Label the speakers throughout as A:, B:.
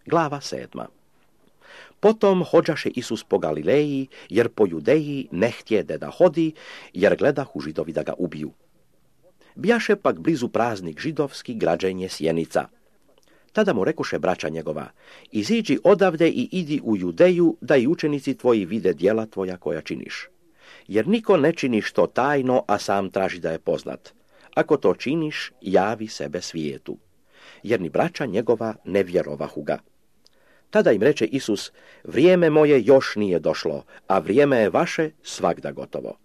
A: Glava 7. Potom hođaše Isus po Galileji, jer po Judeji ne htjede da hodi, jer gledahu Židovi da ga ubiju. Bijaše pak blizu praznik židovski, građenje Sjenica. Tada mu rekoše braća njegova, iziđi odavde i idi u Judeju, da i učenici tvoji vide djela tvoja koja činiš. Jer niko ne čini što tajno, a sam traži da je poznat. Ako to činiš, javi sebe svijetu. Jer ni braća njegova ne vjerovahu ga. Tada im reče Isus, vrijeme moje još nije došlo, a vrijeme je vaše svagda gotovo.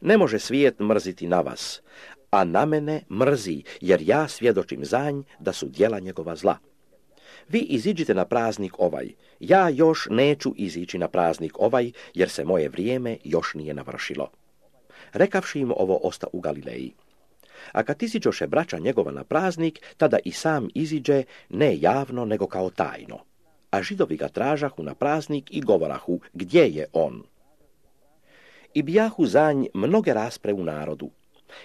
A: Ne može svijet mrziti na vas, a na mene mrzi, jer ja svjedočim za nj da su djela njegova zla. Vi iziđite na praznik ovaj, ja još neću izići na praznik ovaj, jer se moje vrijeme još nije navršilo. Rekavši im ovo, osta u Galileji. A kad iziđoše braća njegova na praznik, tada i sam iziđe, ne javno, nego kao tajno. A Židovi ga tražahu na praznik i govorahu, gdje je on? I bijahu za nj mnoge raspre u narodu.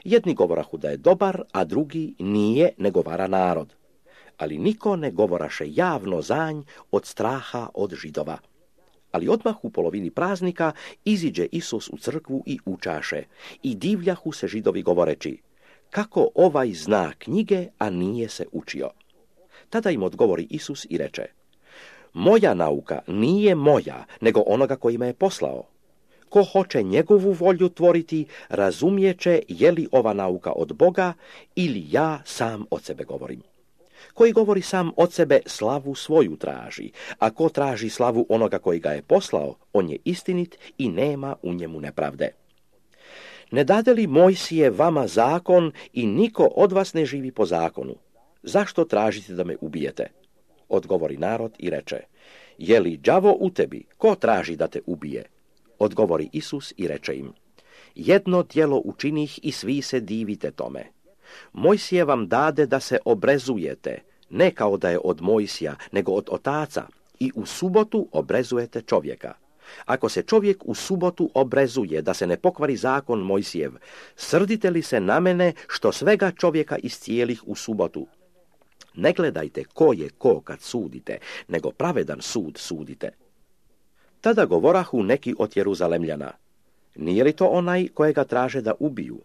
A: Jedni govorahu da je dobar, a drugi nije, nego vara narod. Ali niko ne govoraše javno za nj od straha od Židova. Ali odmah u polovini praznika iziđe Isus u crkvu i učaše. I divljahu se Židovi govoreći, kako ovaj zna knjige, a nije se učio. Tada im odgovori Isus i reče, moja nauka nije moja, nego onoga koji me je poslao. Ko hoće njegovu volju tvoriti, razumijeće je li ova nauka od Boga ili ja sam od sebe govorim. Koji govori sam od sebe, slavu svoju traži, a ko traži slavu onoga koji ga je poslao, on je istinit i nema u njemu nepravde. Ne dade li Mojsije vama zakon i niko od vas ne živi po zakonu? Zašto tražite da me ubijete? Odgovori narod i reče, je li đavo u tebi, ko traži da te ubije? Odgovori Isus i reče im, jedno djelo učinih i svi se divite tome. Mojsije vam dade da se obrezujete, ne kao da je od Mojsija, nego od otaca, i u subotu obrezujete čovjeka. Ako se čovjek u subotu obrezuje da se ne pokvari zakon Mojsijev, srdite li se na mene što svega čovjeka iscijelih u subotu? Ne gledajte ko je ko kad sudite, nego pravedan sud sudite. Tada govorahu neki od Jeruzalemljana, nije li to onaj kojega traže da ubiju?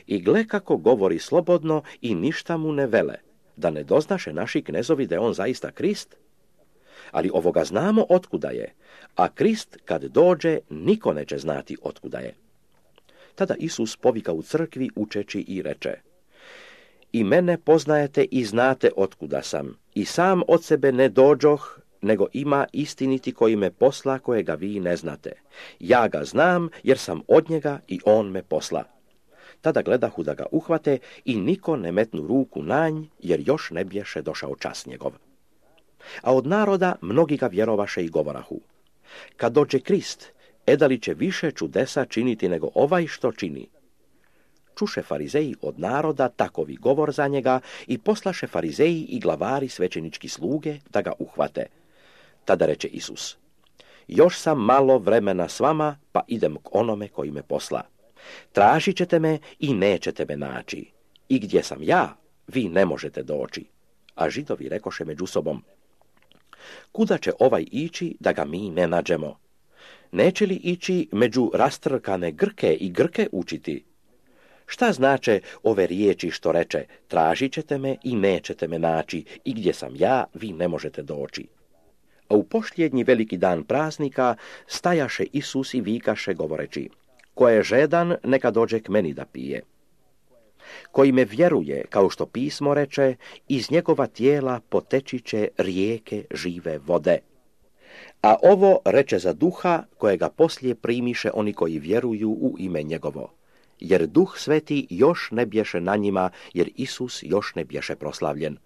A: I gle kako govori slobodno i ništa mu ne vele, da ne doznaše naši knezovi da je on zaista Krist? Ali ovoga znamo otkuda je, a Krist kad dođe niko neće znati otkuda je. Tada Isus povika u crkvi učeći i reče, i mene poznajete i znate otkuda sam, i sam od sebe ne dođoh, nego ima istiniti koji me posla kojega vi ne znate. Ja ga znam jer sam od njega i on me posla. Tada gledahu da ga uhvate i niko ne metnu ruku na nj, jer još ne bješe došao čas njegov. A od naroda mnogi ga vjerovaše i govorahu, kad dođe Krist, edali će više čudesa činiti nego ovaj što čini. Čuše farizeji od naroda takovi govor za njega i poslaše farizeji i glavari svećenički sluge da ga uhvate. Tada reče Isus, još sam malo vremena s vama, pa idem k onome koji me posla. Tražit ćete me i nećete me naći. I gdje sam ja, vi ne možete doći. A Židovi rekoše među sobom, kuda će ovaj ići da ga mi ne nađemo? Neće li ići među rastrkane Grke i Grke učiti? Šta znače ove riječi što reče, tražit ćete me i nećete me naći, i gdje sam ja, vi ne možete doći. A u posljednji veliki dan praznika stajaše Isus i vikaše govoreći, ko je žedan, neka dođe k meni da pije. Koji me vjeruje, kao što pismo reče, iz njegova tijela poteći će rijeke žive vode. A ovo reče za duha, kojega poslije primiše oni koji vjeruju u ime njegovo. Jer Duh Sveti još ne bješe na njima, jer Isus još ne bješe proslavljen.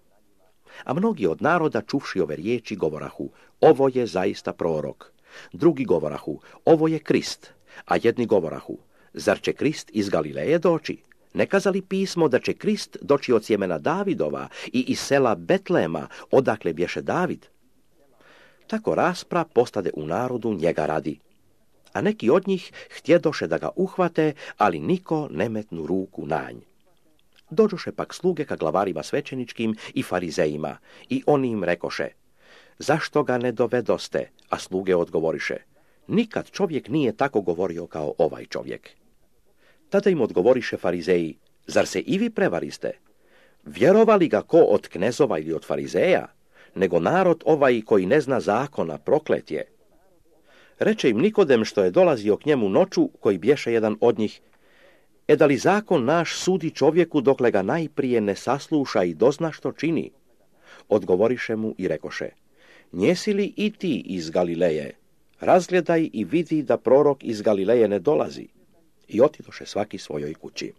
A: A mnogi od naroda, čuvši ove riječi, govorahu, ovo je zaista prorok. Drugi govorahu, ovo je Krist. A jedni govorahu, zar će Krist iz Galileje doći? Ne kazali pismo da će Krist doći od sjemena Davidova i iz sela Betlema, odakle bješe David? Tako raspra postade u narodu njega radi. A neki od njih htjedoše da ga uhvate, ali niko ne metnu ruku na nj. Dođoše pak sluge ka glavarima svećeničkim i farizejima, i oni im rekoše, zašto ga ne dovedoste? A sluge odgovoriše, nikad čovjek nije tako govorio kao ovaj čovjek. Tada im odgovoriše farizeji, zar se i vi prevariste? Vjerovali ga ko od knezova ili od farizeja, nego narod ovaj koji ne zna zakona, proklet je. Reče im Nikodem što je dolazio k njemu noću, koji bješe jedan od njih, da li zakon naš sudi čovjeku dokle ga najprije ne sasluša i dozna što čini? Odgovoriše mu i rekoše, njesi li i ti iz Galileje? Razgledaj i vidi da prorok iz Galileje ne dolazi. I otidoše svaki svojoj kući.